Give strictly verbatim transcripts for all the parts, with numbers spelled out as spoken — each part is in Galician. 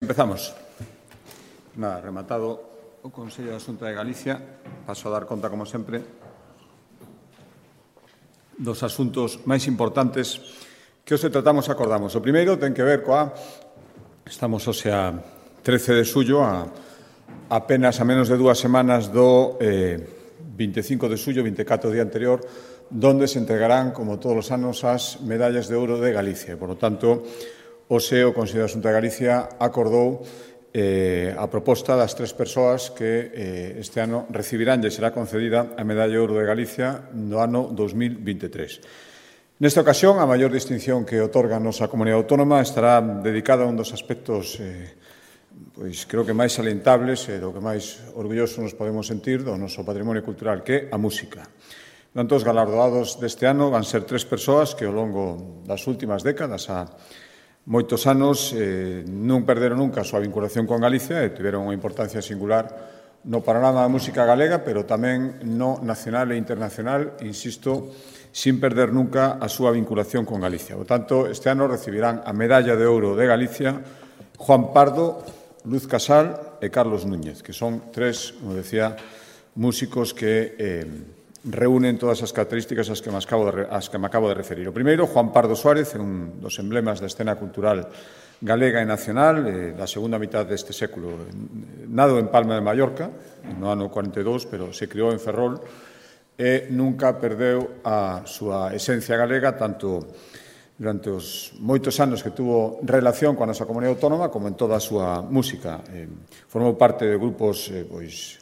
Empezamos. Nada, rematado o Consello da Xunta de Galicia, paso a dar conta, como sempre, dos asuntos máis importantes que hoxe tratamos e acordamos. O primeiro ten que ver coa... Estamos hoxe a trece de xullo, a apenas a menos de dúas semanas do eh, vinte e cinco de xullo, vinte e catro do día anterior, donde se entregarán, como todos os anos, as medallas de ouro de Galicia. Por lo tanto, hoxe o Consello da Xunta de Galicia acordou eh, a proposta das tres persoas que eh, este ano recibirán e será concedida a medalla de ouro de Galicia no ano dos mil vinte e tres. Nesta ocasión, a maior distinción que otorga a nosa comunidade autónoma estará dedicada a un dos aspectos eh, pois creo que máis salientables e do que máis orgullosos nos podemos sentir do noso patrimonio cultural, que é a música. Tanto, os galardoados deste ano van ser tres persoas que ao longo das últimas décadas a moitos anos eh, non perderon nunca a súa vinculación con Galicia e tiveron unha importancia singular no panorama da música galega, pero tamén no nacional e internacional, insisto, sin perder nunca a súa vinculación con Galicia. Por tanto, este ano recibirán a medalla de ouro de Galicia Juan Pardo, Luz Casal e Carlos Núñez, que son tres, como decía, músicos que eh, reúnen todas as características ás que, me acabo de, as que me acabo de referir. O primeiro, Juan Pardo Suárez, é un dos emblemas da escena cultural galega e nacional eh, da segunda mitad deste século. Nado en Palma de Mallorca, no ano cuarenta e dous, pero se criou en Ferrol e nunca perdeu a súa esencia galega, tanto durante os moitos anos que tuvo relación coa nosa comunidade autónoma como en toda a súa música. Eh, formou parte de grupos eh, pois,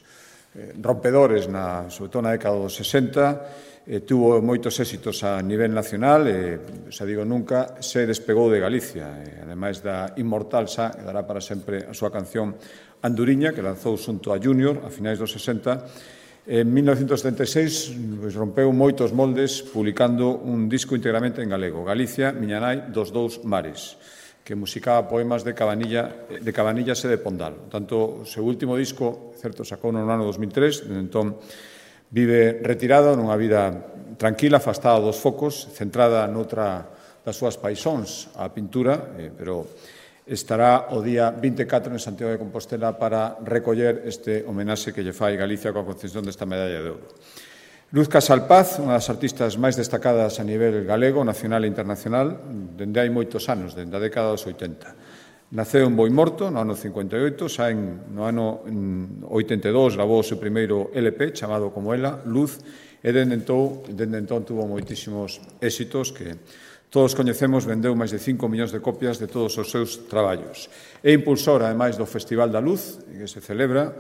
Eh, rompedores, na, sobre todo na década dos sesenta, eh, tuvo moitos éxitos a nivel nacional e, xa digo, nunca se despegou de Galicia. Eh, ademais da inmortal xa, que dará para sempre a súa canción Anduriña, que lanzou xunto a Junior a finais dos sesenta. En mil novecentos setenta e seis pues, rompeu moitos moldes publicando un disco íntegramente en galego, Galicia, miña nai dos dous mares, que musicaba poemas de Cabanilla, de Cabanillas e de Pondal. Tanto, o seu último disco, certo, sacou no ano dos mil tres, desde entón vive retirado nunha vida tranquila, afastada dos focos, centrada noutra das súas paixóns, a pintura, eh, pero estará o día vinte e catro en Santiago de Compostela para recoller este homenaxe que lle fai Galicia coa concesión desta medalla de ouro. Luz Casal Paz, unha das artistas máis destacadas a nivel galego, nacional e internacional, dende hai moitos anos, dende a década dos oitenta. Naceu en Boimorto, no ano cincuenta e oito, xa en, no ano oitenta e dous gravou o seu primeiro L P, chamado como ela, Luz, e dende entón, dende entón tuvo moitísimos éxitos que todos coñecemos, vendeu máis de cinco millóns de copias de todos os seus traballos. É impulsora, ademais, do Festival da Luz, que se celebra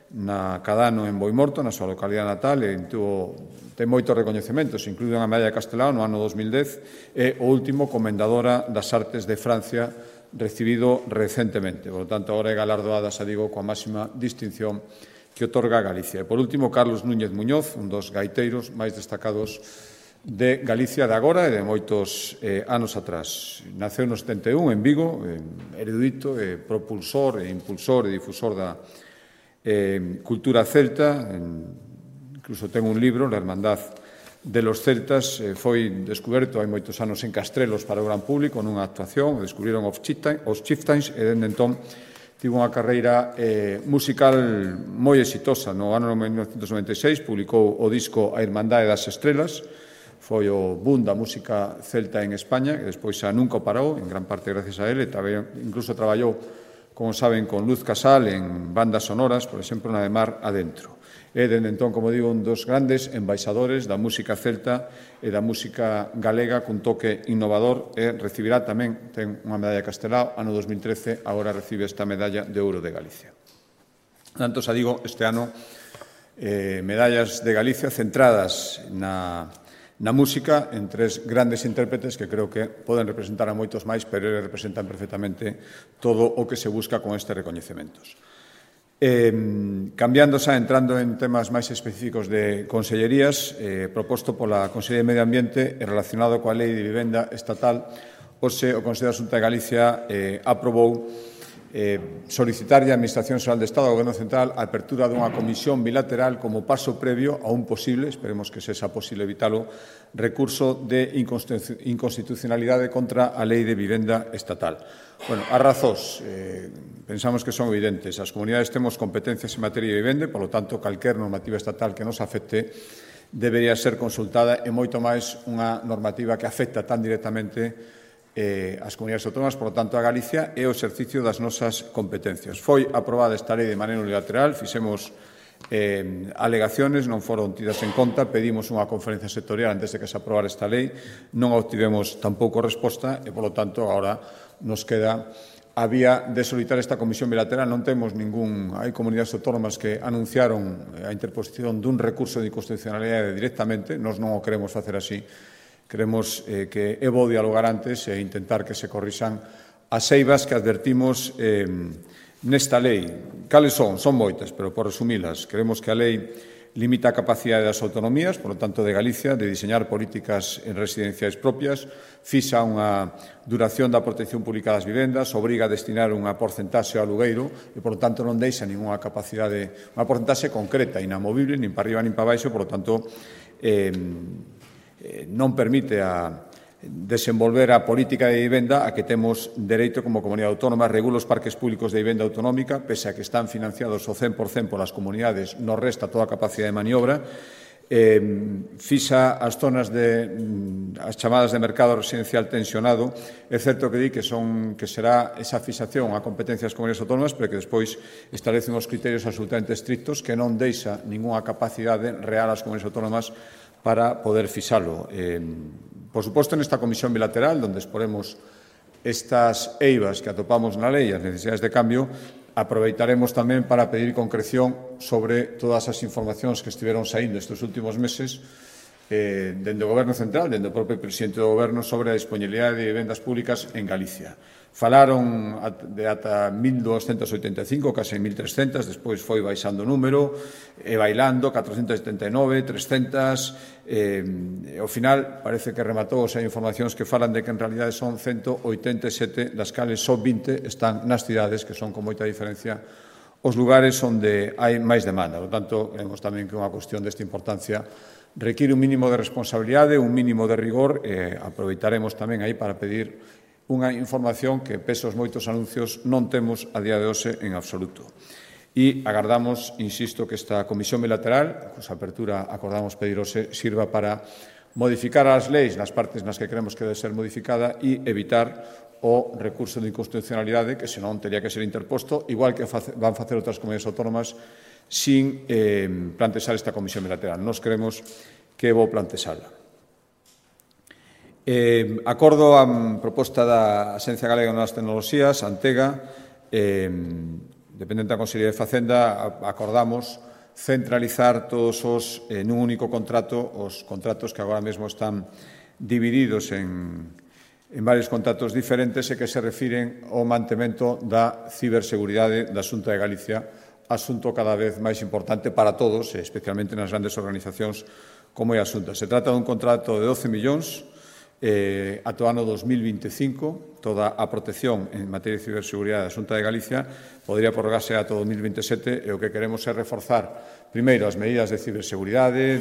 na cada ano en Boimorto, na súa localidade natal, e tuvo, ten moitos recoñecementos, incluído a medalla de Castelao no ano dos mil dez, e o último Comendadora das Artes de Francia, recibido recentemente. Por lo tanto, agora é galardoada, xa digo, coa máxima distinción que otorga Galicia. E, por último, Carlos Núñez Muñoz, un dos gaiteiros máis destacados de Galicia de agora e de moitos eh, anos atrás. Naceu no setenta e un en Vigo, eh, erudito, eh, propulsor e impulsor e difusor da Eh, cultura celta, en, incluso ten un libro, La Hermandad de los Celtas, eh, foi descuberto hai moitos anos en Castrelos para o gran público, nunha actuación, descubriron os Chieftains, e dende entón tivo unha carreira eh, musical moi exitosa. No ano mil novecentos noventa e seis publicou o disco A Irmandade das Estrelas, foi o boom da música celta en España, que despois xa nunca o parou, en gran parte gracias a ele, incluso traballou, como saben, con Luz Casal en bandas sonoras, por exemplo, na de Mar Adentro. É, dende entón, como digo, un dos grandes embaixadores da música celta e da música galega cun toque innovador, e recibirá tamén, ten unha medalla de Castelao, ano dos mil trece, agora recibe esta medalla de ouro de Galicia. Tanto, xa digo, este ano, eh, medallas de Galicia centradas na... na música, en tres grandes intérpretes que creo que poden representar a moitos máis, pero eles representan perfectamente todo o que se busca con estes recoñecementos. Eh, cambiando xa, entrando en temas máis específicos de consellerías, eh, proposto pola Consellería de Medio Ambiente e relacionado coa Lei de Vivenda Estatal, hoxe o Consello da Xunta de Galicia eh, aprobou eh, solicitar a Administración Xeral de Estado ao Goberno Central a apertura dunha comisión bilateral como paso previo a un posible, esperemos que sexa posible evitalo, recurso de inconstitucionalidade contra a Lei de Vivenda Estatal. Bueno, as razóns, eh, pensamos que son evidentes. As comunidades temos competencias en materia de vivenda, por lo tanto, calquer normativa estatal que nos afecte debería ser consultada e moito máis unha normativa que afecta tan directamente eh, as comunidades autónomas, por lo tanto, a Galicia e o exercicio das nosas competencias. Foi aprobada esta lei de maneira unilateral, fixemos eh, alegaciones, non foron tidas en conta, pedimos unha conferencia sectorial antes de que se aprobara esta lei, non obtivemos tampouco resposta e, por lo tanto, agora nos queda a vía de solicitar esta comisión bilateral. Non temos ningún... Hai comunidades autónomas que anunciaron a interposición dun recurso de inconstitucionalidade directamente, nós non o queremos facer así. Queremos eh, que é bo dialogar antes e intentar que se corrixan as eivas que advertimos eh, nesta lei. Cales son? Son moitas, pero por resumilas, queremos que a lei limita a capacidade das autonomías, por lo tanto de Galicia, de diseñar políticas en residenciais propias, fixa unha duración da protección pública das vivendas, obriga a destinar unha porcentaxe ao alugueiro e, por lo tanto, non deixa ninguna capacidade, unha porcentaxe concreta, inamovible, nin para arriba nin para baixo, por lo tanto, eh, non permite a desenvolver a política de vivenda a que temos dereito como comunidade autónoma, regula os parques públicos de vivenda autonómica, pese a que están financiados o cen por cento polas comunidades, nos resta toda a capacidade de maniobra, eh, fixa as zonas de as chamadas de mercado residencial tensionado. É certo que di que son que será esa fixación a competencias comunidades autónomas, pero que despois establecen os criterios absolutamente estrictos que non deixa ningunha capacidade real ás comunidades autónomas para poder fixalo. Eh, por suposto, nesta comisión bilateral, onde exporemos estas eivas que atopamos na lei e as necesidades de cambio, aproveitaremos tamén para pedir concreción sobre todas as informacións que estiveron saindo estes últimos meses eh, dende o Goberno Central, dende o propio presidente do Goberno, sobre a disponibilidade de vivendas públicas en Galicia. Falaron de ata mil doscientas oitenta e cinco, case mil trescentas, despois foi baixando o número, e bailando, catrocentas setenta e nove, trescentas, e ao final parece que rematou, hai informacións que falan de que en realidade son ciento oitenta e sete, das cales só vinte están nas cidades, que son con moita diferencia os lugares onde hai máis demanda. Por tanto, vemos tamén que unha cuestión desta importancia require un mínimo de responsabilidade, un mínimo de rigor, e aproveitaremos tamén aí para pedir unha información que, pese aos moitos anuncios, non temos a día de hoxe en absoluto. E agardamos, insisto, que esta comisión bilateral, cusa apertura acordamos pedir hoxe, sirva para modificar as leis nas partes nas que creemos que debe ser modificada e evitar o recurso de inconstitucionalidade, que senón teria que ser interposto, igual que van facer outras comunidades autónomas, sin eh, plantexar esta comisión bilateral. Nos queremos que vou plantexala. Eh, acordo a proposta da Axencia Galega de Novas Tecnoloxías, Antega, eh, dependente da Consellería de Facenda, acordamos centralizar todos os, eh, nun único contrato, os contratos que agora mesmo están divididos en, en varios contratos diferentes e que se refiren ao mantemento da ciberseguridade da Xunta de Galicia, asunto cada vez máis importante para todos, especialmente nas grandes organizacións como é a Xunta. Se trata dun contrato de doce millóns, Eh, ata o ano dos mil veinticinco, toda a protección en materia de ciberseguridade da Xunta de Galicia podría prorrogarse ata o dos mil veintisiete, e o que queremos é reforzar, primeiro, as medidas de ciberseguridade,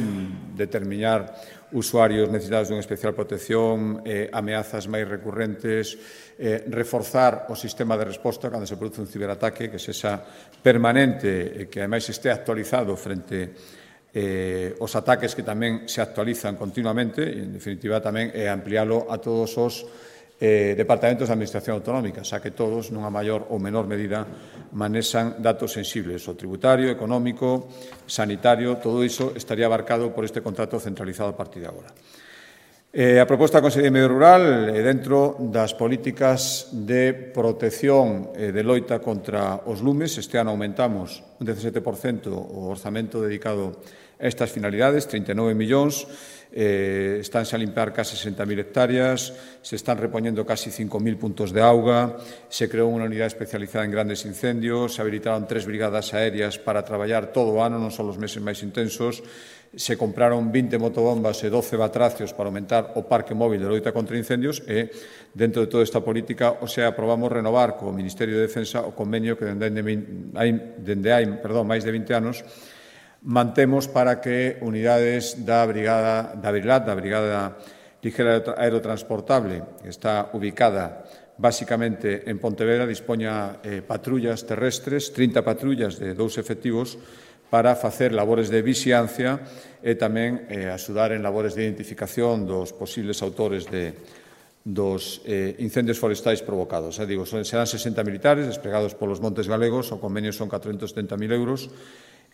determinar usuarios necesitados dunha especial protección, eh, ameazas máis recurrentes, eh, reforzar o sistema de resposta cando se produce un ciberataque, que sexa permanente e que, ademais, este actualizado frente Eh, os ataques que tamén se actualizan continuamente, e, en definitiva, tamén é ampliálo a todos os eh, departamentos de administración autonómica, xa que todos, nunha maior ou menor medida, manexan datos sensibles, o tributario, económico, sanitario, todo iso estaría abarcado por este contrato centralizado a partir de agora. Eh, a proposta da Consellería de Medio Rural, eh, dentro das políticas de protección e eh, de loita contra os lumes, este ano aumentamos un dezasete por cento o orzamento dedicado a estas finalidades, trinta e nove millóns. eh, estánse a limpar case sesenta mil hectáreas, se están repoñendo casi cinco mil puntos de auga, se creou unha unidade especializada en grandes incendios, se habilitaron tres brigadas aéreas para traballar todo o ano, non só os meses máis intensos, se compraron vinte motobombas e doce batracios para aumentar o parque móvil de loita contra incendios e, dentro de toda esta política, o sea, aprobamos renovar co Ministerio de Defensa o convenio que dende hai, dende hai perdón, máis de vinte anos mantemos para que unidades da Brigada da Brilat, da Brigada Ligera Aerotransportable, que está ubicada basicamente en Pontevedra, dispoña eh, patrullas terrestres, trinta patrullas de dous efectivos, para facer labores de vixiancia e tamén eh, axudar en labores de identificación dos posibles autores de, dos eh, incendios forestais provocados. Eh, digo, son, serán sesenta militares desplegados polos montes galegos, o convenio son catrocentos setenta mil euros,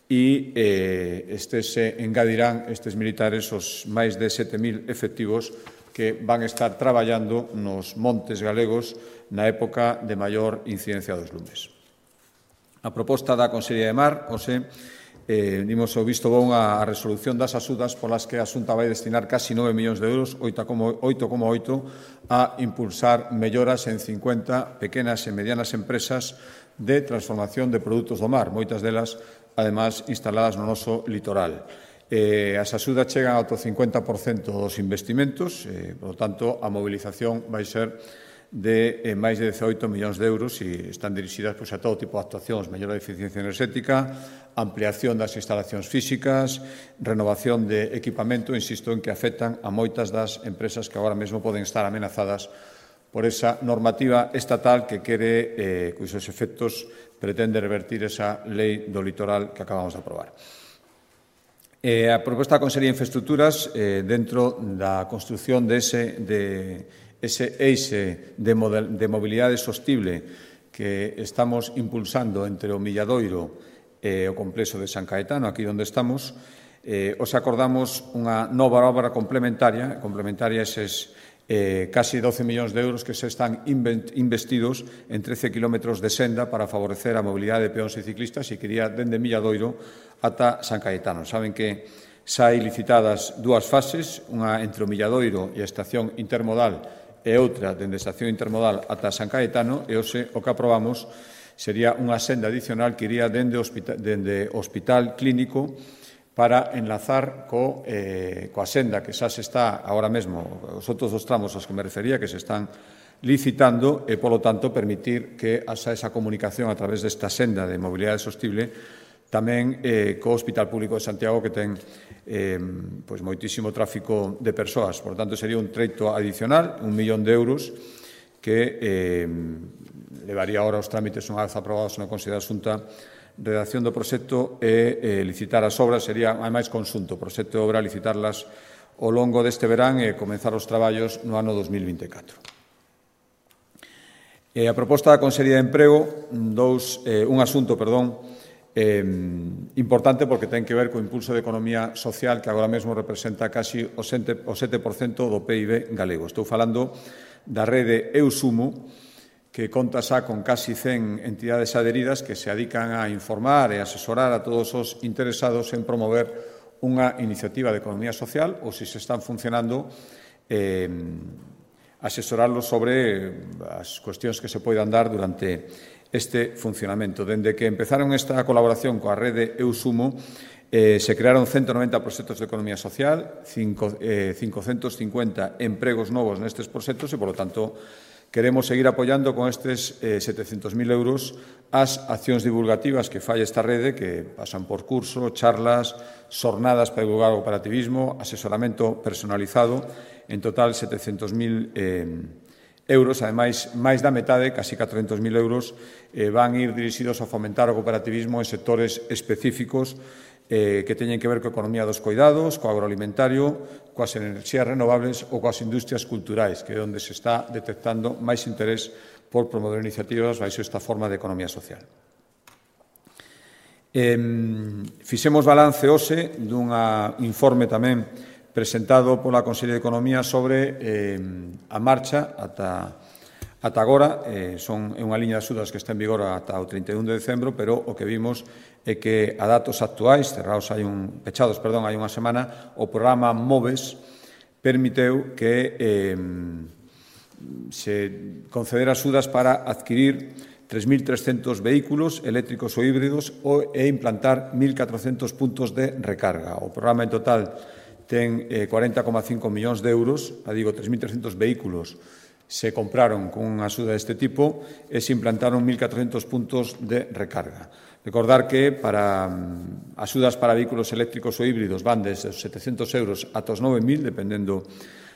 e eh, estes se engadirán, estes militares, os máis de sete mil efectivos que van estar traballando nos montes galegos na época de maior incidencia dos lumes. A proposta da Consellería de Mar, José, Eh, dimos o visto bon a, a resolución das axudas polas que a Xunta vai destinar casi nove millóns de euros, oito coma oito, a impulsar melloras en cincuenta pequenas e medianas empresas de transformación de produtos do mar, moitas delas, además, instaladas no noso litoral. Eh, as axudas chegan ao cincuenta por cento dos investimentos, eh, por lo tanto, a mobilización vai ser de eh, máis de dezaoito millóns de euros e están dirixidas pois, a todo tipo de actuacións, mellora de eficiencia enerxética, ampliación das instalacións físicas, renovación de equipamento, insisto en que afectan a moitas das empresas que agora mesmo poden estar amenazadas por esa normativa estatal que quere, eh, cuyos efectos pretende revertir esa lei do litoral que acabamos de aprobar. Eh, a proposta da Consellería de Infraestructuras, eh, dentro da construción de ese, de, ese eixe de, model, de mobilidade sostible que estamos impulsando entre o Milladoiro e o complexo de San Caetano, aquí onde estamos, eh, os acordamos unha nova obra complementaria, complementaria eses eh, casi doce millóns de euros que se están investidos en trece kilómetros de senda para favorecer a mobilidade de peóns e ciclistas e que iría dende Milladoiro ata San Caetano. Saben que xa hai licitadas dúas fases, unha entre o Milladoiro e a estación intermodal e outra dende a estación intermodal ata San Caetano, e hoxe o que aprobamos sería unha senda adicional que iría dende o hospital, dende o hospital clínico para enlazar co, eh, coa senda que xa se está agora mesmo, os outros dos tramos aos que me refería, que se están licitando e, polo tanto, permitir que haxa esa comunicación a través desta senda de mobilidade sostible tamén eh, co Hospital Público de Santiago, que ten eh, pois, moitísimo tráfico de persoas. Por tanto, sería un treito adicional, un millón de euros, que eh, levaría ahora os trámites unha vez aprobados na Consellería da Xunta, redacción do proxecto e eh, licitar as obras. Sería, ademais, conxunto, proxecto de obra, licitarlas ao longo deste verán e comenzar os traballos no ano dos mil vinte e catro. Eh, a proposta da Consellería de Emprego, dous, eh, un asunto, perdón, Eh, importante porque ten que ver co impulso de economía social que agora mesmo representa casi o sete por cento do P I B galego. Estou falando da rede Eusumo, que conta xa con casi cen entidades adheridas que se dedican a informar e asesorar a todos os interesados en promover unha iniciativa de economía social ou, se se están funcionando, eh, asesorarlos sobre as cuestións que se poidan dar durante este funcionamento. Dende que empezaron esta colaboración coa rede Eusumo, eh, se crearon ciento noventa proxectos de economía social, cinco, eh, cincocentos cincuenta empregos novos nestes proxectos e, polo tanto, queremos seguir apoiando con estes eh, setecentos mil euros as accións divulgativas que fai esta rede, que pasan por curso, charlas, xornadas para divulgar o cooperativismo, asesoramento personalizado, en total setecentos mil eh, euros. Ademais, máis da metade, casi catrocentos mil euros, eh, van ir dirixidos a fomentar o cooperativismo en sectores específicos eh, que teñen que ver coa economía dos coidados, co agroalimentario, coas enerxías renovables ou coas industrias culturais, que é onde se está detectando máis interés por promover iniciativas baixo esta forma de economía social. Eh, fixemos balance hoxe dun informe tamén presentado pola Consellería de Economía sobre eh, a marcha ata Ata agora, eh, son é unha liña de axudas que está en vigor ata o trinta e un de decembro, pero o que vimos é que a datos actuais, cerrados hai un, pechados, perdón, hai unha semana, o programa Moves permiteu que eh, se conceder axudas para adquirir tres mil trescentos vehículos eléctricos ou híbridos e implantar mil catrocentos puntos de recarga. O programa en total ten eh, cuarenta coma cinco millóns de euros, a digo, tres mil trescentos vehículos se compraron con unha axuda deste tipo e se implantaron mil catrocentos puntos de recarga. Recordar que para um, axudas para vehículos eléctricos ou híbridos van desde os setecientos euros ata os nove mil, dependendo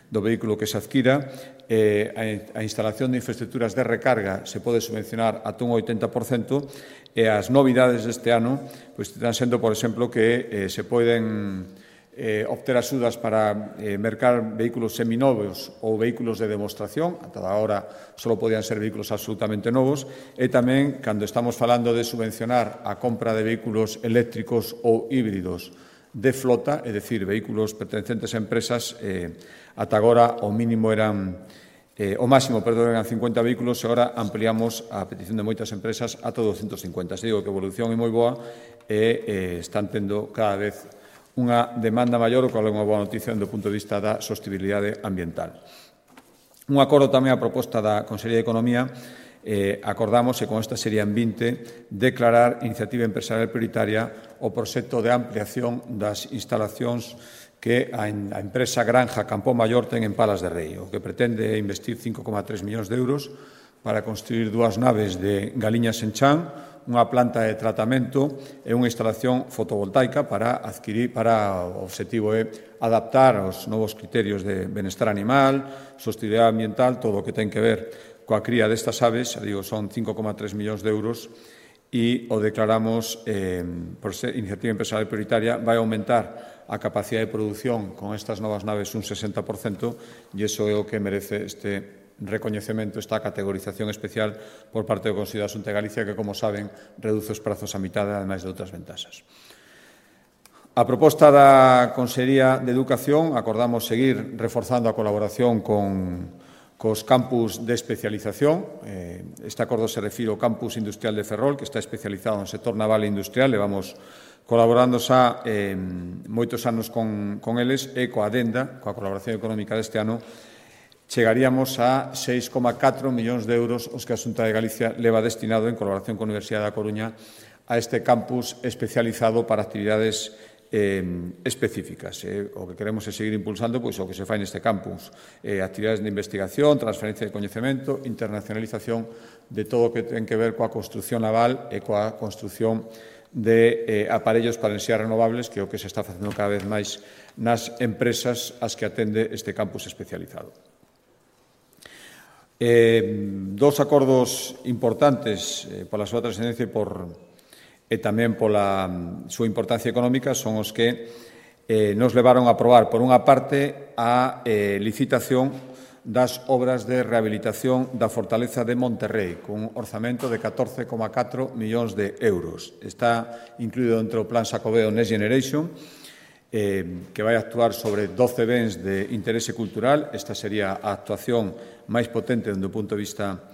do vehículo que se adquira. Eh, a, a instalación de infraestructuras de recarga se pode subvencionar ata un oitenta por cento e as novidades deste ano pois, están sendo, por exemplo, que eh, se poden Eh, obter axudas para eh, mercar vehículos seminovos ou vehículos de demostración, ata agora só podían ser vehículos absolutamente novos, e tamén, cando estamos falando de subvencionar a compra de vehículos eléctricos ou híbridos de flota, é dicir, vehículos pertencentes a empresas, eh, ata agora o mínimo eran, eh, o máximo, perdón, eran cincuenta vehículos, e agora ampliamos a petición de moitas empresas ata doscientos cincuenta. Se digo que a evolución é moi boa e eh, están tendo cada vez unha demanda maior, o cual é unha boa noticia do punto de vista da sostibilidade ambiental. Un acordo tamén a proposta da Consellería de Economía, eh, acordamos, e con esta serían vinte, declarar iniciativa empresarial prioritaria o proxecto de ampliación das instalacións que a, a empresa Granja Campo Maior ten en Palas de Rei, o que pretende é investir cinco coma tres millóns de euros para construir dúas naves de Galiñas en Chan, unha planta de tratamento e unha instalación fotovoltaica para adquirir, para o objetivo é adaptar aos novos criterios de benestar animal, sostenibilidade ambiental, todo o que ten que ver coa cría destas aves, digo, son cinco coma tres millóns de euros, e o declaramos eh, por ser iniciativa empresarial prioritaria, vai aumentar a capacidade de produción con estas novas naves un sesenta por cento, e iso é o que merece este recoñecemento, esta categorización especial por parte do Consello da Xunta de Galicia, que, como saben, reduce os prazos a mitad, ademais de outras ventaxas. A proposta da Consellería de Educación, acordamos seguir reforzando a colaboración con cos campus de especialización. Este acordo se refire ao campus industrial de Ferrol, que está especializado no sector naval e industrial. Levamos colaborando xa eh, moitos anos con, con eles, e coa adenda, coa colaboración económica deste ano, chegaríamos a seis coma catro millóns de euros os que a Xunta de Galicia leva destinado en colaboración con a Universidade da Coruña a este campus especializado para actividades eh, específicas. Eh, o que queremos é seguir impulsando pois, o que se fai neste campus. Eh, actividades de investigación, transferencia de coñecemento, internacionalización de todo o que ten que ver coa construción naval e coa construción de eh, aparellos para enerxías renovables, que é o que se está facendo cada vez máis nas empresas ás que atende este campus especializado. Eh, dos acordos importantes eh, pola súa trascendencia e, por, e tamén pola um, súa importancia económica son os que eh, nos levaron a aprobar, por unha parte, a eh, licitación das obras de rehabilitación da Fortaleza de Monterrei, cun orzamento de catorce coma catro millóns de euros. Está incluído dentro do Plan Xacobeo Next Generation, eh, que vai actuar sobre doce bens de interese cultural. Esta sería a actuación máis potente dende o punto de vista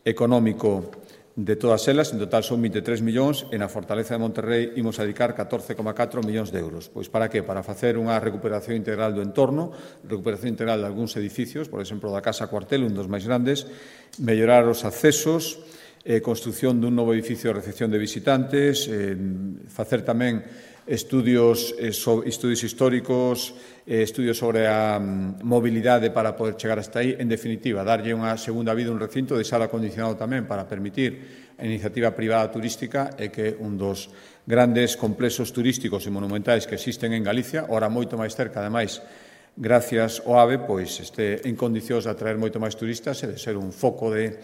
económico de todas elas. En total son vinte e tres millóns, e na Fortaleza de Monterrei imos a dedicar catorce coma catro millóns de euros. Pois para que? Para facer unha recuperación integral do entorno, recuperación integral de algúns edificios, por exemplo, da Casa Cuartel, un dos máis grandes, mellorar os accesos, eh, construción dun novo edificio de recepción de visitantes, eh, facer tamén estudios, eh, so, estudios históricos, eh, estudios sobre a um, mobilidade para poder chegar hasta aí. En definitiva, darlle unha segunda vida a un recinto, deixar acondicionado tamén para permitir a iniciativa privada turística, e que un dos grandes complexos turísticos e monumentais que existen en Galicia, ora moito máis cerca, ademais, gracias ao AVE, pois este en condicións de atraer moito máis turistas e de ser un foco de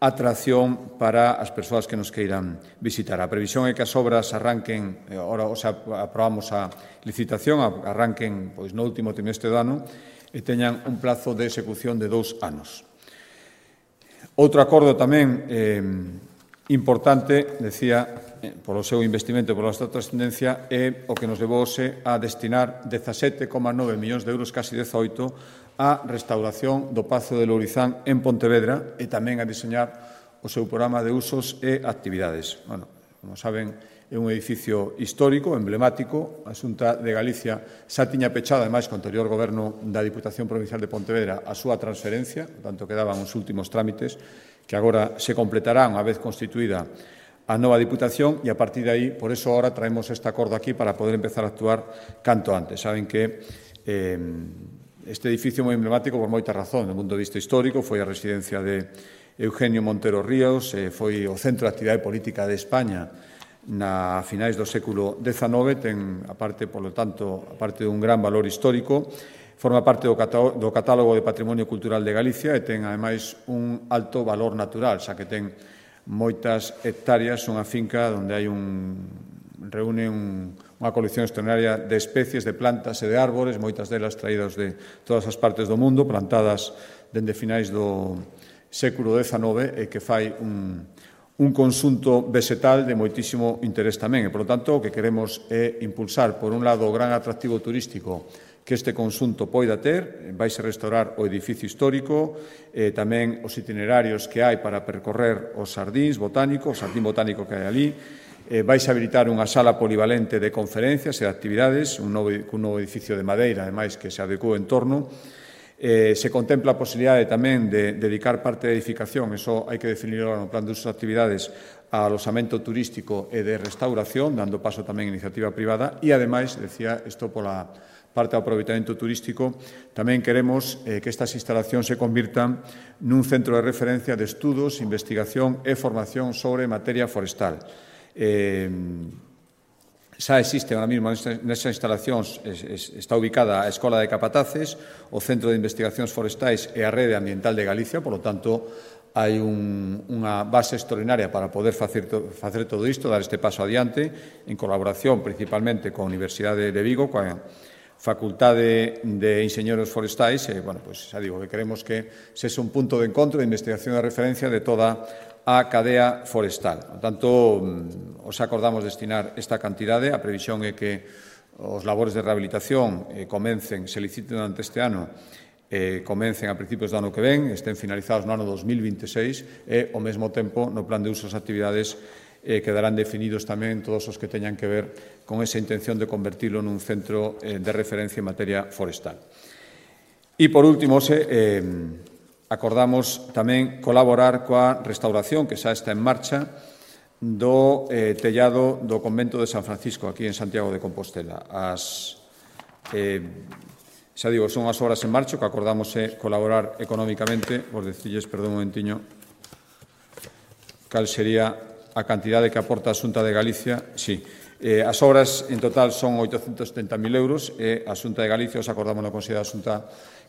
atracción para as persoas que nos queiran visitar. A previsión é que as obras arranquen, ora, o sea, aprobamos a licitación, arranquen pois, no último trimestre do ano e teñan un plazo de execución de dous anos. Outro acordo tamén eh, importante, decía, eh, polo seu investimento e pola súa trascendencia, é o que nos levouse a destinar dezasete coma nove millóns de euros, casi dezaoito, a restauración do Pazo de Lourizán en Pontevedra e tamén a diseñar o seu programa de usos e actividades. Bueno, como saben, é un edificio histórico, emblemático. A Xunta de Galicia xa tiña pechado, ademais, co anterior goberno da Diputación Provincial de Pontevedra, a súa transferencia, por tanto, quedaban os últimos trámites que agora se completarán unha vez constituída a nova Diputación e, a partir de aí, por eso ahora traemos este acordo aquí para poder empezar a actuar canto antes. Saben que eh, este edificio é moi emblemático por moitas razóns. Do punto de vista histórico, foi a residencia de Eugenio Montero Ríos, eh, foi o centro de actividade política de España na finais do século dezanove, ten, aparte, polo tanto, aparte dun gran valor histórico, forma parte do catálogo de Patrimonio Cultural de Galicia e ten, ademais, un alto valor natural, xa que ten moitas hectáreas, unha finca onde hai un reúne un, unha colección extraordinaria de especies, de plantas e de árbores, moitas delas traídas de todas as partes do mundo, plantadas dende finais do século dezanove e que fai un un conxunto vegetal de moitísimo interés tamén. E, polo tanto, o que queremos é impulsar, por un lado, o gran atractivo turístico que este conxunto poida ter, vaise restaurar o edificio histórico, eh, tamén os itinerarios que hai para percorrer os xardíns botánicos, o xardín botánico que hai ali, eh, vaise habilitar unha sala polivalente de conferencias e de actividades, un novo, un novo edificio de madeira, ademais, que se adecuou en torno. Eh, se contempla a posibilidade tamén de dedicar parte da edificación, eso hai que definirlo no plan de usos de actividades, a alosamento turístico e de restauración, dando paso tamén a iniciativa privada, e, ademais, decía, isto pola parte do aproveitamento turístico, tamén queremos eh, que estas instalacións se convirtan nun centro de referencia de estudos, investigación e formación sobre materia forestal. Eh, Xa existe ahora mismo nesas instalacións, está ubicada a Escola de Capataces, o Centro de Investigacións Forestais e a Rede Ambiental de Galicia, polo tanto, hai un, unha base extraordinaria para poder facer, facer todo isto, dar este paso adiante, en colaboración principalmente coa Universidade de Vigo, coa Facultade de Inxeñeros Forestais, e, bueno, pues, xa digo, que queremos que sexa un punto de encontro de investigación e referencia de toda a cadea forestal. Por tanto, os acordamos destinar esta cantidade. A previsión é que os labores de rehabilitación eh, comencen, se liciten durante este ano, eh, comencen a principios do ano que ven, estén finalizados no ano dos mil vinte e seis e, ao mesmo tempo, no plan de usos e actividades eh, quedarán definidos tamén todos os que teñan que ver con esa intención de convertirlo nun centro eh, de referencia en materia forestal. E, por último, se... Eh, acordamos tamén colaborar coa restauración que xa está en marcha do eh, tellado do convento de San Francisco, aquí en Santiago de Compostela. As, eh, xa digo, son as obras en marcha que acordamos é colaborar económicamente. Vos decilles, perdón un momentiño, cal sería a cantidade que aporta a Xunta de Galicia. Sí, eh, as obras en total son oitocentos setenta mil euros e a Xunta de Galicia, os acordamos na Consellería da Xunta,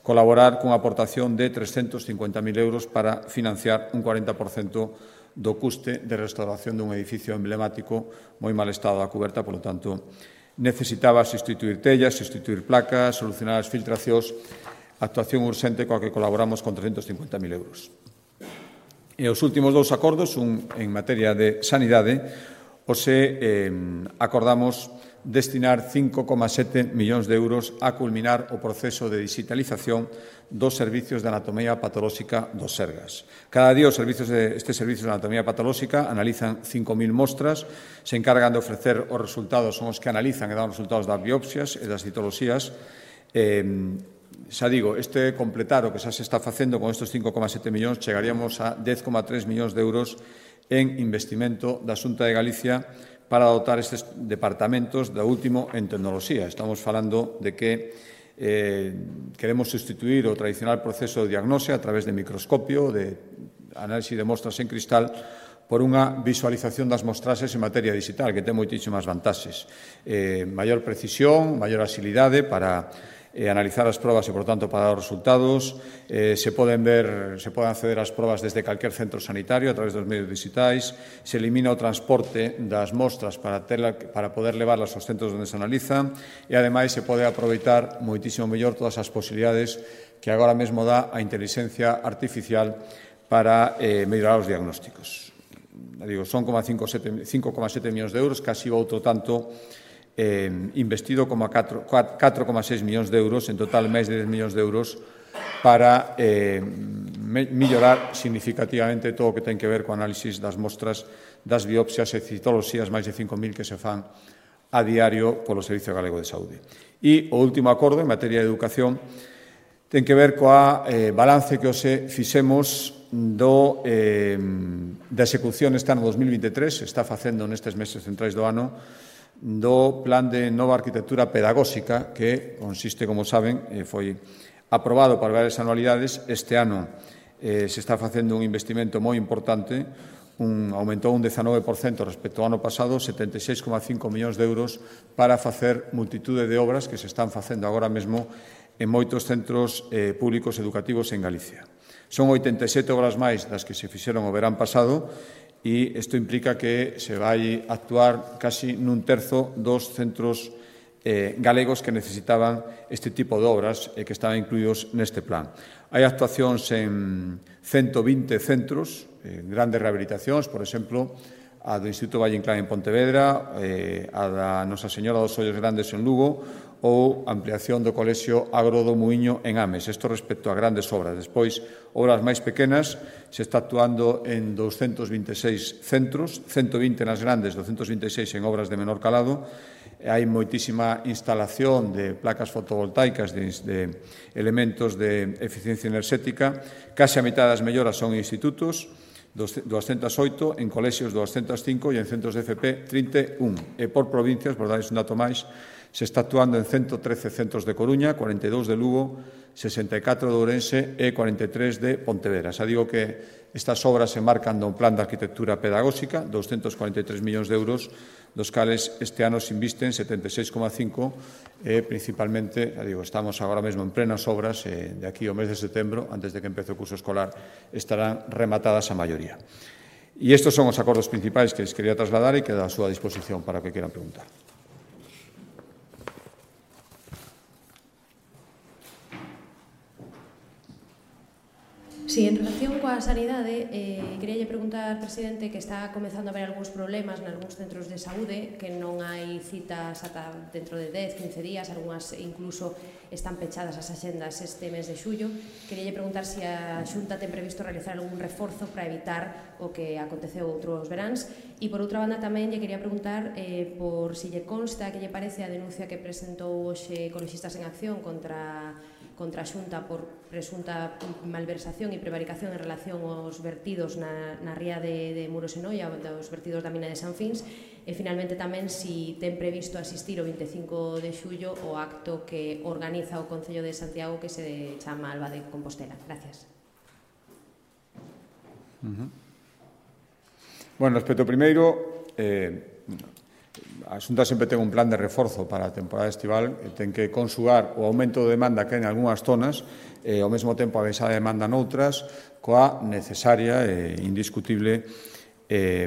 colaborar cunha aportación de trescentos cincuenta mil euros para financiar un cuarenta por cento do custe de restauración dun edificio emblemático moi mal estado da cuberta, polo tanto, necesitaba sustituir tellas, sustituir placas, solucionar as filtracións, actuación urxente coa que colaboramos con trescentos cincuenta mil euros. E os últimos dous acordos, un en materia de sanidade, os eh, acordamos destinar cinco coma sete millóns de euros a culminar o proceso de digitalización dos servicios de anatomía patolóxica dos Sergas. Cada día os servicios de, estes servicios de anatomía patolóxica analizan cinco mil mostras, se encargan de ofrecer os resultados, son os que analizan e dan os resultados das biopsias e das citoloxías. Eh, xa digo, este completar o que xa se está facendo con estes cinco coma sete millóns, chegaríamos a dez coma tres millóns de euros en investimento da Xunta de Galicia para dotar estes departamentos da último en tecnoloxía. Estamos falando de que eh, queremos sustituir o tradicional proceso de diagnose a través de microscopio, de análisis de mostras en cristal, por unha visualización das mostraxes en materia digital, que ten moitísimas vantaxes. Eh, maior precisión, maior axilidade para eh, analizar as probas e, por tanto, para dar os resultados. Eh, se poden ver, se poden acceder ás probas desde calquer centro sanitario a través dos medios digitais. Se elimina o transporte das mostras para, terla, para poder levarlas aos centros onde se analizan e, ademais, se pode aproveitar moitísimo mellor todas as posibilidades que agora mesmo dá a inteligencia artificial para eh, mellorar os diagnósticos. Digo, son cinco coma sete millóns de euros, casi outro tanto eh, investido como catro coma seis millóns de euros, en total máis de dez millóns de euros para eh, mellorar significativamente todo o que ten que ver co análisis das mostras das biopsias e citoloxías, máis de cinco mil que se fan a diario polo Servicio Galego de Saúde. E o último acordo en materia de educación ten que ver coa eh, balance que hoxe fixemos do, eh, da execución este ano dos mil vinte e tres, se está facendo nestes meses centrais do ano, do Plan de Nova Arquitectura Pedagóxica, que consiste, como saben, eh, foi aprobado para varias anualidades. Este ano eh, se está facendo un investimento moi importante, un, aumentou un dezanove por cento respecto ao ano pasado, setenta e seis coma cinco millóns de euros para facer multitude de obras que se están facendo agora mesmo en moitos centros eh, públicos educativos en Galicia. Son oitenta e sete obras máis das que se fixeron o verán pasado e isto implica que se vai actuar casi nun terzo dos centros eh, galegos que necesitaban este tipo de obras e que estaban incluídos neste plan. Hai actuacións en ciento vinte centros, eh, grandes rehabilitacións, por exemplo, a do Instituto Valle Inclán en Pontevedra, eh, a da Nosa Señora dos Ollos Grandes en Lugo ou ampliación do Colexio Agro do Muiño en Ames. Isto respecto a grandes obras. Despois, obras máis pequenas, se está actuando en doscientos vinte e seis centros, ciento vinte nas grandes, doscientos vinte e seis en obras de menor calado. Hai moitísima instalación de placas fotovoltaicas, de, de elementos de eficiencia enerxética. Case a mitad das melloras son en institutos, doscientos oito, en colexios doscientos cinco e en centros de F P trinta e un. E por provincias, por darles un dato máis, se está actuando en ciento trece centros de Coruña, cuarenta e dous de Lugo, sesenta e catro de Ourense e cuarenta e tres de Pontevedra. Xa digo que estas obras se marcan dun plan de arquitectura pedagóxica, doscientos cuarenta e tres millóns de euros, dos cales este ano se invisten setenta e seis coma cinco e principalmente, xa digo, estamos agora mesmo en plenas obras e de aquí ao mes de setembro, antes de que empece o curso escolar, estarán rematadas a maioría. E estes son os acordos principais que les quería trasladar e que da a súa disposición para o que quieran preguntar. Sí, en relación coa sanidade, eh, queríalle preguntar, presidente, que está comezando a haber algúns problemas nalgúns centros de saúde, que non hai citas ata dentro de dez, quince días, algunhas incluso están pechadas as axendas este mes de xullo. Queríalle preguntar se a Xunta ten previsto realizar algún reforzo para evitar o que aconteceu outros veráns. E, por outra banda, tamén lle quería preguntar eh, por si lle consta que lle parece a denuncia que presentou hoxe Ecoloxistas en Acción contra contra a Xunta por presunta malversación e prevaricación en relación aos vertidos na, na ría de, de Muros e Noia, dos vertidos da mina de San Fins, e finalmente tamén si ten previsto asistir o vinte e cinco de xullo o acto que organiza o Concello de Santiago que se chama Alba de Compostela. Gracias. Uh-huh. Bueno, respecto ao primeiro, eh, a Xunta sempre ten un plan de reforzo para a temporada estival e ten que consugar o aumento de demanda que hai en algunhas zonas e ao mesmo tempo a baixada de demanda noutras coa necesaria e indiscutible eh,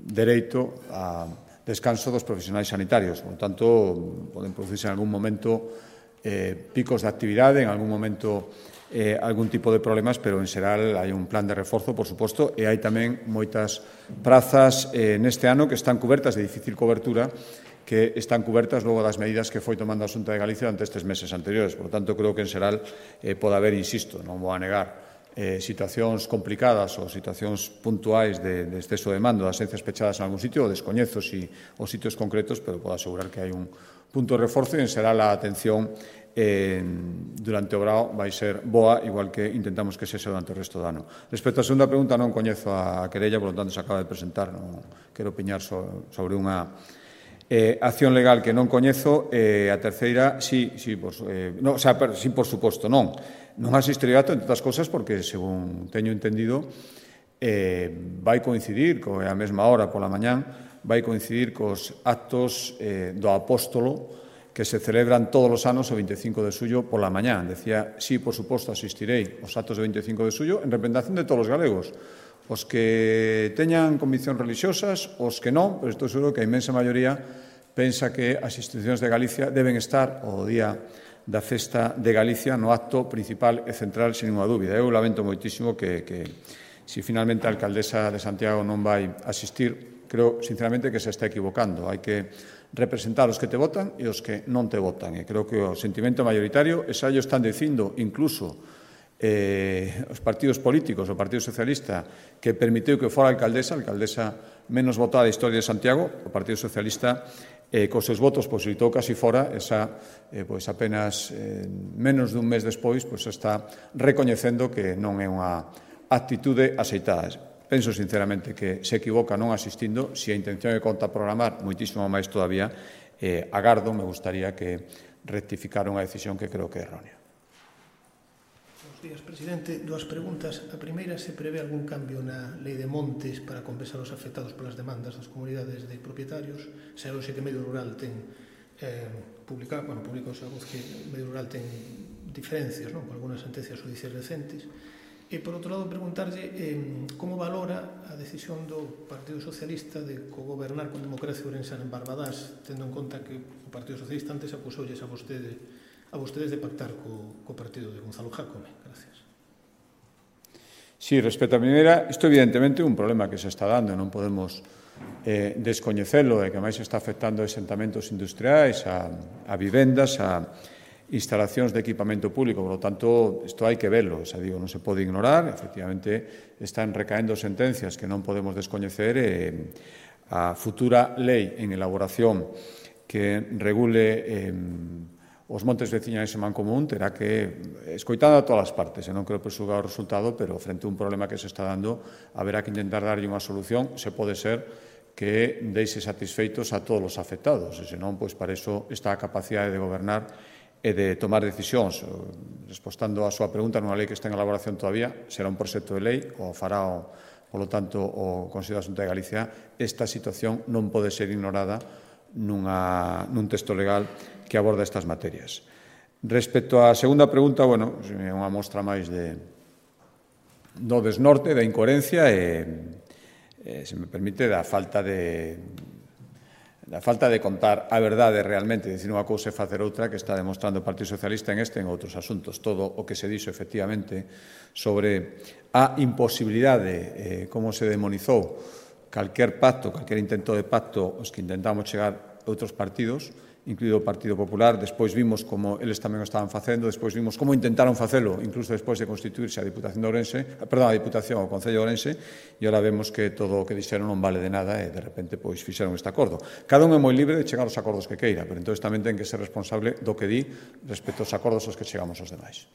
dereito a descanso dos profesionais sanitarios. Por tanto, poden producirse en algún momento eh, picos de actividade, en algún momento eh, algún tipo de problemas, pero en xeral hai un plan de reforzo, por suposto, e hai tamén moitas prazas eh, neste ano que están cubertas de difícil cobertura, que están cubertas logo das medidas que foi tomando a Xunta de Galicia durante estes meses anteriores. Por tanto, creo que en xeral eh, pode haber, insisto, non vou a negar, eh, situacións complicadas ou situacións puntuais de, de exceso de mando das esencias pechadas en algún sitio, ou descoñezo si os sitios concretos, pero podo asegurar que hai un punto de reforzo e en xeral a atención Eh, durante o brao vai ser boa, igual que intentamos que sexa durante o resto do ano. Respecto á segunda pregunta, non coñezo a querella, por lo tanto se acaba de presentar, non quero opinar so, sobre unha eh, acción legal que non coñezo. Eh, a terceira, sí, sí, por, eh, no, o sea, per, sí, por suposto, non. Non asistirei a entre outras cosas porque, según teño entendido, eh, vai coincidir, co, a mesma hora pola mañán, vai coincidir cos actos eh, do apóstolo que se celebran todos os anos o vinte e cinco de xullo pola mañán. Decía, sí, por suposto, asistirei aos actos do vinte e cinco de xullo en representación de todos os galegos. Os que teñan conviccións religiosas, os que non, pero estou seguro que a inmensa maioría pensa que as institucións de Galicia deben estar o día da festa de Galicia no acto principal e central, sin ninguna dúbida. Eu lamento moitísimo que, que si finalmente a alcaldesa de Santiago non vai asistir, creo, sinceramente, que se está equivocando. Hai que representar os que te votan e os que non te votan. E creo que o sentimento mayoritario, e xa ello están dicindo, incluso eh, os partidos políticos, o Partido Socialista, que permitiu que fora a alcaldesa, a alcaldesa menos votada da historia de Santiago, o Partido Socialista, eh, cos seus votos posibilitou casi fora, esa, eh, pois apenas eh, menos dun mes despois, pois está recoñecendo que non é unha actitude aceitada. Penso sinceramente que se equivoca non asistindo, se a intención é contraprogramar moitísimo máis todavía, eh, agardo, me gustaría que rectificara unha decisión que creo que é errónea. Buenos días, presidente. Dúas preguntas. A primeira, se prevé algún cambio na lei de montes para compensar os afectados polas demandas das comunidades de propietarios? Se hoxe que Medio Rural ten eh, publicado, bueno, publicou a voz que Medio Rural ten diferencias, non?, con algunhas sentencias judiciais recentes. E, por outro lado, preguntarlle eh, como valora a decisión do Partido Socialista de cogobernar con democracia ourensana en Barbadás, tendo en conta que o Partido Socialista antes acusoulles a vostede a vostedes de pactar co, co partido de Gonzalo Jácome. Gracias. Sí, respecto a primeira, isto evidentemente é un problema que se está dando, non podemos eh, descoñecelo, e que máis está afectando a asentamentos industriais, a, a vivendas, a instalacións de equipamento público, por lo tanto, isto hai que velo, xa digo, non se pode ignorar, efectivamente están recaendo sentencias que non podemos descoñecer e a futura lei en elaboración que regule eh, os montes veciñais en Mancomún terá que, escoitando a todas as partes, e non creo presugar o resultado, pero frente a un problema que se está dando, haberá que intentar darlle unha solución, se pode ser que deixe satisfeitos a todos os afectados, e senón, pois, para iso está a capacidade de gobernar e de tomar decisións. Respostando a súa pregunta, nunha lei que está en elaboración todavía, será un proxecto de lei, o fará, o, polo tanto, o Consello da Xunta de Galicia. Esta situación non pode ser ignorada nunha, nun texto legal que aborda estas materias. Respecto á segunda pregunta, bueno, é unha mostra máis de do desnorte, da incoherencia e, e, se me permite, da falta de da falta de contar a verdade realmente, dicir unha cousa e facer outra, que está demostrando o Partido Socialista en este e en outros asuntos. Todo o que se dixo, efectivamente, sobre a imposibilidade, eh, como se demonizou calquer pacto, calquer intento de pacto, os que intentamos chegar a outros partidos, incluído o Partido Popular, despois vimos como eles tamén o estaban facendo, despois vimos como intentaron facelo, incluso despois de constituirse a Diputación de Ourense, perdón, a Diputación, o Concello de Ourense, e agora vemos que todo o que dixeron non vale de nada e, de repente, pois, fixeron este acordo. Cada un é moi libre de chegar aos acordos que queira, pero entón tamén ten que ser responsable do que di respecto aos acordos aos que chegamos aos demais.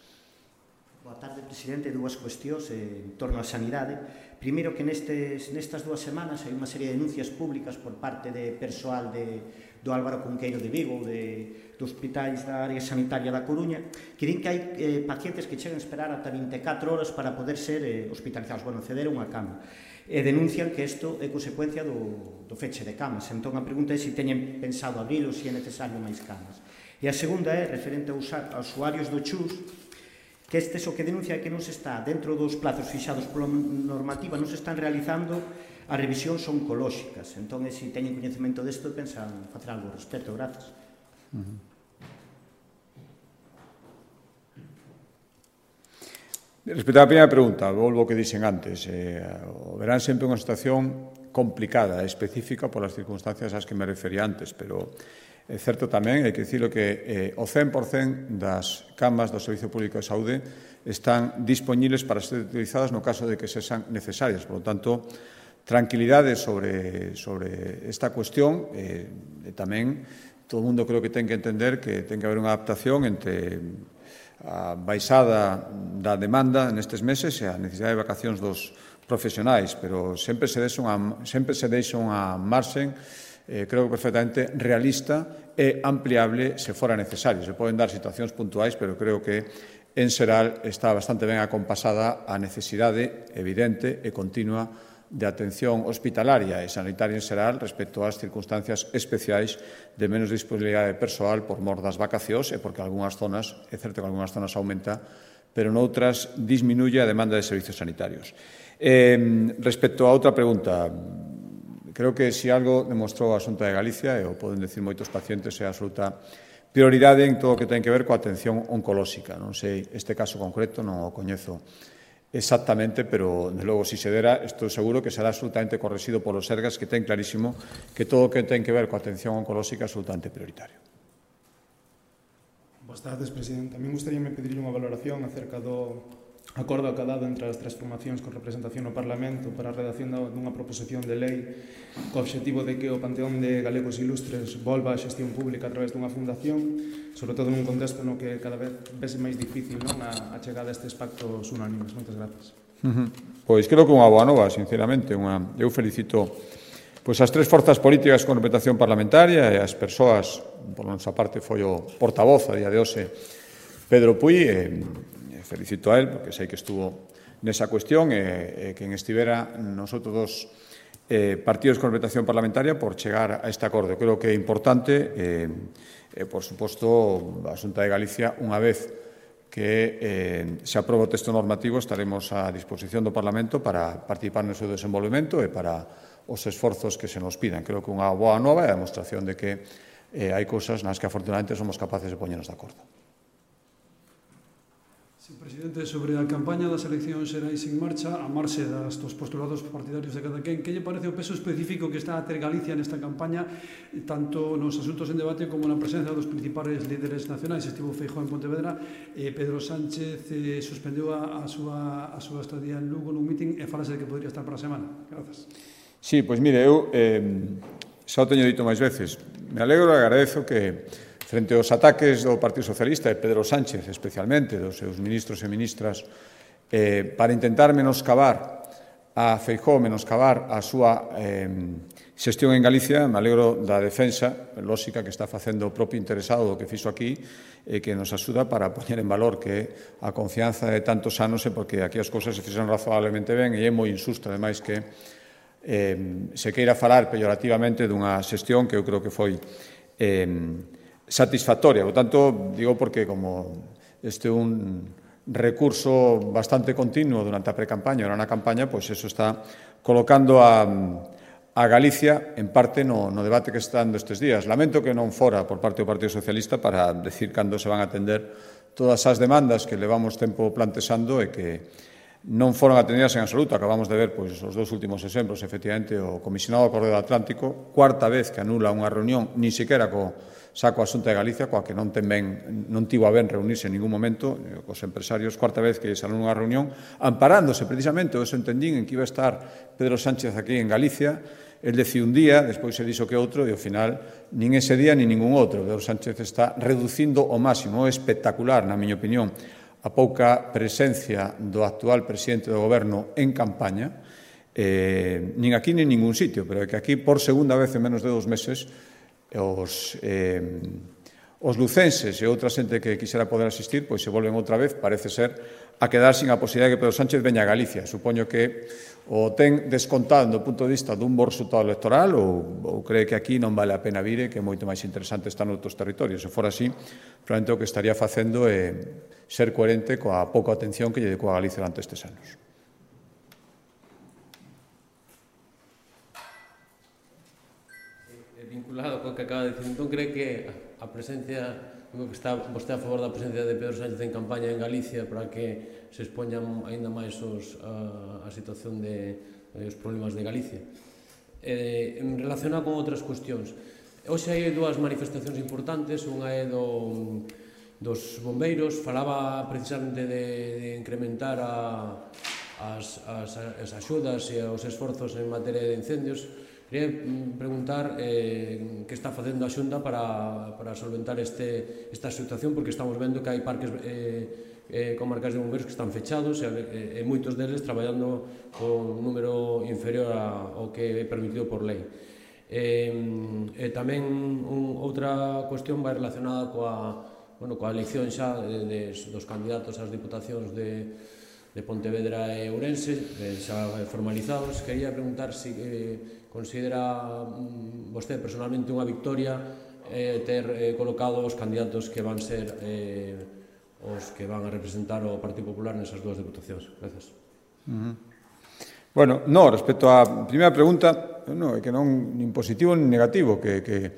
Boa tarde, presidente. Dúas cuestións en torno á sanidade. Primeiro, que nestes, nestas dúas semanas hai unha serie de denuncias públicas por parte de persoal de do Álvaro Cunqueiro de Vigo, de, de hospitais da área sanitaria da Coruña, que din que hai eh, pacientes que chegan a esperar ata vinte e catro horas para poder ser eh, hospitalizados, bueno, ceder a unha cama. E denuncian que isto é consecuencia do, do feche de camas. Entón, a pregunta é se teñen pensado abrir ou se é necesario máis camas. E a segunda é, referente aos usuarios do Chus, que estes o que denuncia é que non se está, dentro dos plazos fixados pola normativa, non se están realizando as revisións oncolóxicas. Entón, se teñen coñecemento desto, pensan facer algo ao respecto. Grazas. Uh-huh. Respecto á primeira pregunta, volvo ao que dixen antes. Eh, o verán sempre unha situación complicada, específica polas circunstancias ás que me refería antes, pero é certo tamén, hai que dicilo, que eh, o cen por cen das camas do Servicio Público de Saúde están disponibles para ser utilizadas no caso de que sexan necesarias. Por lo tanto, tranquilidade sobre, sobre esta cuestión e, e tamén todo o mundo creo que ten que entender que ten que haber unha adaptación entre a baixada da demanda nestes meses e a necesidade de vacacións dos profesionais, pero sempre se deixa unha, sempre se deixa unha marxen eh, creo que perfectamente realista e ampliable se fora necesario. Se poden dar situacións puntuais, pero creo que en xeral está bastante ben acompasada a necesidade evidente e continua de atención hospitalaria e sanitaria en xeral respecto ás circunstancias especiais de menos disponibilidade persoal por mor das vacacións e porque algunhas zonas, é certo que algunhas zonas aumenta, pero noutras disminuye a demanda de servicios sanitarios. Eh, respecto a outra pregunta, creo que se algo demostrou a Xunta de Galicia, e o poden decir moitos pacientes, é a absoluta prioridade en todo o que ten que ver coa atención oncolóxica. Non sei, este caso concreto non o coñezo exactamente, pero, de logo, si se dera, estou seguro que será absolutamente correxido polos Sergas, que ten clarísimo que todo o que ten que ver coa atención oncolóxica é absolutamente prioritario. Boas tardes, presidente. A mí gustaríame pedirle unha valoración acerca do acordo acadado entre as tres formacións con representación no Parlamento para a redacción dunha proposición de lei co obxectivo de que o Panteón de Galegos Ilustres volva a xestión pública a través dunha fundación, sobre todo nun contexto no que cada vez vese máis difícil, non, a, a chegada a estes pactos unánimes. Moitas grazas. Uh-huh. Pois creo que unha boa nova, sinceramente. Unha... Eu felicito pois, as tres forzas políticas con representación parlamentaria e as persoas, por nosa parte foi o portavoz a día de hoxe, Pedro Puy, e felicito a él, porque sei que estuvo nesa cuestión, e, e quen estivera nos outros dos eh, partidos con representación parlamentaria por chegar a este acordo. Creo que é importante, e, eh, por suposto, a Xunta de Galicia, unha vez que eh, se aproba o texto normativo, estaremos a disposición do Parlamento para participar no seu desenvolvemento e para os esforzos que se nos pidan. Creo que unha boa nova é a demostración de que eh, hai cousas nas que afortunadamente somos capaces de poñernos de acordo. Sí, presidente, sobre a campaña das eleccións xerais en marcha, a marxe das, dos postulados partidarios de cada quen, que lle parece o peso específico que está a ter Galicia nesta campaña, tanto nos asuntos en debate como na presencia dos principales líderes nacionais? Estivo Feijóo en Pontevedra, eh, Pedro Sánchez eh, suspendeu a, a, súa, a súa estadía en Lugo nun mitin e falase de que podría estar para a semana. Grazas. Sí, pois mire, eu eh, xa o teño dito máis veces. Me alegro e agradezo que frente aos ataques do Partido Socialista e Pedro Sánchez, especialmente, dos seus ministros e ministras, eh, para intentar menoscabar a Feijóo, menoscabar a súa eh, xestión en Galicia, me alegro da defensa lóxica que está facendo o propio interesado do que fixo aquí e que nos axuda para poñer en valor que a confianza de tantos anos é porque aquí as cousas se fixeron razonablemente ben e é moi injusto, ademais, que eh, se queira falar peyorativamente dunha xestión que eu creo que foi eh, satisfactoria. Por tanto, digo porque como este é un recurso bastante continuo durante a pre-campaña, ahora na campaña, pois eso está colocando a, a Galicia en parte no, no debate que está dando estes días. Lamento que non fora por parte do Partido Socialista para decir cando se van a atender todas as demandas que levamos tempo plantexando e que non foron atendidas en absoluto. Acabamos de ver pois, os dous últimos exemplos, efectivamente, o comisionado do Corredor Atlántico, cuarta vez que anula unha reunión, nin sequera co saco a Xunta de Galicia, coa que non ten ben, non tivo a ben reunirse en ningún momento cos empresarios, cuarta vez que saliu unha reunión, amparándose precisamente, o eso entendín, en que iba a estar Pedro Sánchez aquí en Galicia. El decidiu un día, despois se dixo que outro, e ao final nin ese día nin ningún outro. Pedro Sánchez está reducindo ao máximo, é espectacular, na miña opinión, a pouca presencia do actual presidente do Goberno en campaña, eh, nin aquí nin ningún sitio, pero é que aquí, por segunda vez en menos de dos meses, os, eh, os lucenses e outra xente que quixera poder asistir, pois se volven outra vez, parece ser, a quedar sin a posibilidad de que Pedro Sánchez veña a Galicia. Supoño que o ten descontado do punto de vista dun bo resultado electoral ou, ou cree que aquí non vale a pena vire, que é moito máis interesante estar noutros territorios. Se fora así, probablemente o que estaría facendo é ser coherente coa pouca atención que lle dedicou a Galicia durante estes anos. Vinculado co que acaba de dicir, entón cree que a presencia, que está vostede a favor da presencia de Pedro Sánchez en campaña en Galicia para que se expoñan aínda máis os, a, a situación de, de os problemas de Galicia. Eh, en relacionado con outras cuestións, hoxe hai dúas manifestacións importantes, unha é do, dos bombeiros, falaba precisamente de, de incrementar a, as, as, as axudas e os esforzos en materia de incendios. Quería preguntar eh, que está facendo a Xunta para, para solventar este, esta situación, porque estamos vendo que hai parques eh, eh, comarcas de bombeiros que están fechados e, e moitos deles traballando con un número inferior ao que é permitido por lei. Eh, e tamén un, outra cuestión vai relacionada coa, bueno, coa elección xa de, de, dos candidatos ás diputacións de, de Pontevedra e Ourense, eh, xa formalizados. Quería preguntar se eh, considera vostede personalmente unha victoria eh, ter eh, colocado os candidatos que van ser eh, os que van a representar o Partido Popular nesas dúas diputacións. Gracias. Uh-huh. Bueno, no, respecto á primeira pregunta, no, é que non nin positivo nin negativo, que, que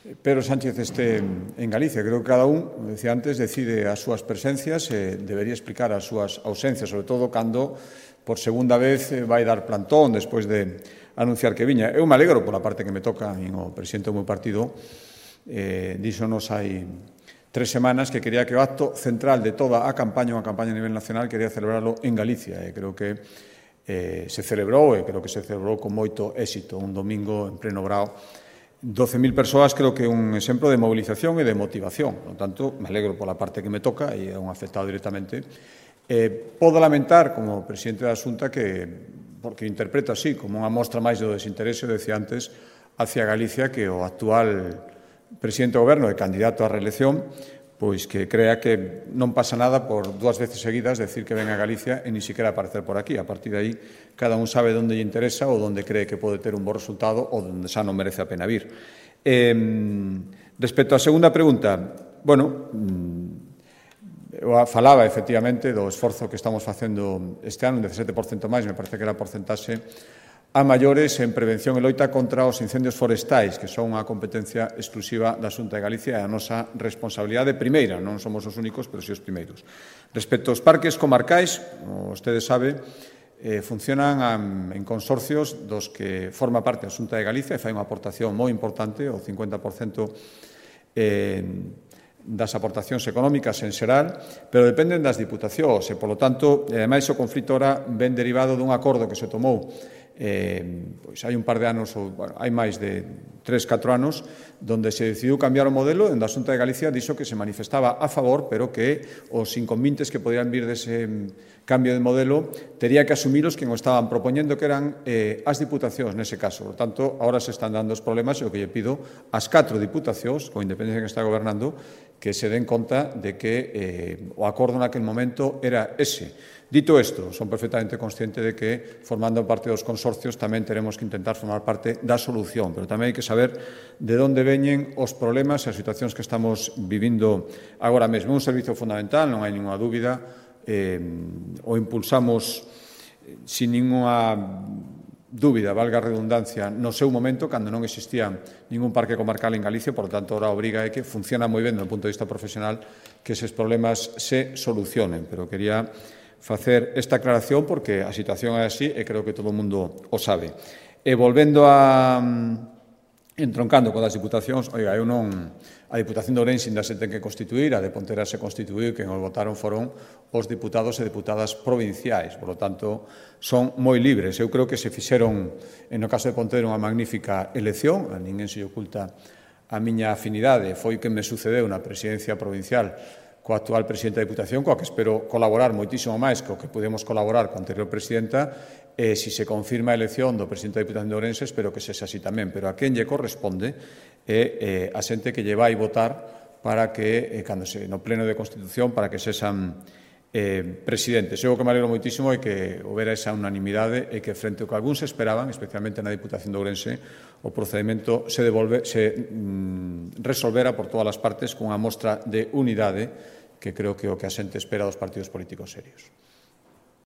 Pedro Sánchez este en Galicia. Creo que cada un, como decía antes, decide as súas presencias e debería explicar as súas ausencias, sobre todo cando por segunda vez vai dar plantón despois de anunciar que viña. Eu me alegro pola parte que me toca, a min o presidente do meu partido, eh, díxonos hai tres semanas que quería que o acto central de toda a campaña, unha campaña a nivel nacional, quería celebrarlo en Galicia. E creo que eh, se celebrou, e creo que se celebrou con moito éxito, un domingo en pleno Brao. doce mil persoas creo que é un exemplo de movilización e de motivación. Por tanto, me alegro pola parte que me toca e é un afectado directamente. Eh, podo lamentar, como presidente da Xunta, que, porque interpreto así, como unha mostra máis do desinterese, decía antes, hacia Galicia, que o actual presidente do Goberno e candidato á reelección, pois que crea que non pasa nada por dúas veces seguidas decir que ven a Galicia e ni siquiera aparecer por aquí. A partir de aí, cada un sabe onde lle interesa ou onde cree que pode ter un bo resultado ou onde xa non merece a pena vir. Eh, respecto á segunda pregunta, bueno, eu falaba efectivamente do esforzo que estamos facendo este ano, un dezasete por cento máis, me parece que era a porcentaxe a maiores en prevención e loita contra os incendios forestais, que son unha competencia exclusiva da Xunta de Galicia e a nosa responsabilidade primeira, non somos os únicos, pero si os primeiros. Respecto aos parques comarcais, como vostedes sabe, eh, funcionan en consorcios dos que forma parte a Xunta de Galicia e fai unha aportación moi importante, o cincuenta por cento eh, das aportacións económicas en xeral, pero dependen das diputacións e, polo tanto, ademais, o conflito ora ven derivado dun acordo que se tomou Eh, pois hai un par de anos, ou bueno, hai máis de tres, catro anos, donde se decidiu cambiar o modelo, onde a Xunta de Galicia dixo que se manifestaba a favor, pero que os inconvenientes que podían vir dese cambio de modelo tería que asumilos quen o estaban propoñendo, que eran eh, as diputacións nese caso. Por tanto, agora se están dando os problemas e o que lle pido ás catro diputacións, con independencia que está gobernando, que se den conta de que eh, o acordo naquele momento era ese. Dito isto, son perfectamente consciente de que, formando parte dos consorcios, tamén teremos que intentar formar parte da solución, pero tamén hai que saber de onde veñen os problemas e as situacións que estamos vivindo agora mesmo. Un servicio fundamental, non hai ninguna dúbida, eh, o impulsamos sin ninguna dúbida, valga a redundancia, no seu momento, cando non existía ningún parque comarcal en Galicia, por tanto, ahora a obriga é que funciona moi ben, do punto de vista profesional, que eses problemas se solucionen, pero quería facer esta aclaración porque a situación é así e creo que todo o mundo o sabe. E volvendo a entroncando con as diputacións, oiga, eu non, a Diputación de Ourense ainda se ten que constituir, a de Ponteira se constituiu, quen os votaron foron os diputados e deputadas provinciais, por lo tanto, son moi libres. Eu creo que se fixeron, en o caso de Ponteira, unha magnífica elección, a ninguén se oculta a miña afinidade, foi quen me sucedeu na presidencia provincial coa actual presidenta da Diputación, coa que espero colaborar moitísimo máis co que podemos colaborar coa anterior presidenta, e se se confirma a elección do presidente da Diputación de Ourense, espero que sexa así tamén, pero a quen lle corresponde é eh, a xente que lle vai votar para que, eh, cando se, no pleno de Constitución, para que sexan eh, presidentes. Eu o que me alegro moitísimo é que houbera esa unanimidade e que, frente ao que algúns esperaban, especialmente na Diputación de Ourense, o procedimento se, devolve, se mm, resolvera por todas as partes cunha mostra de unidade que creo que é o que a xente espera dos partidos políticos serios.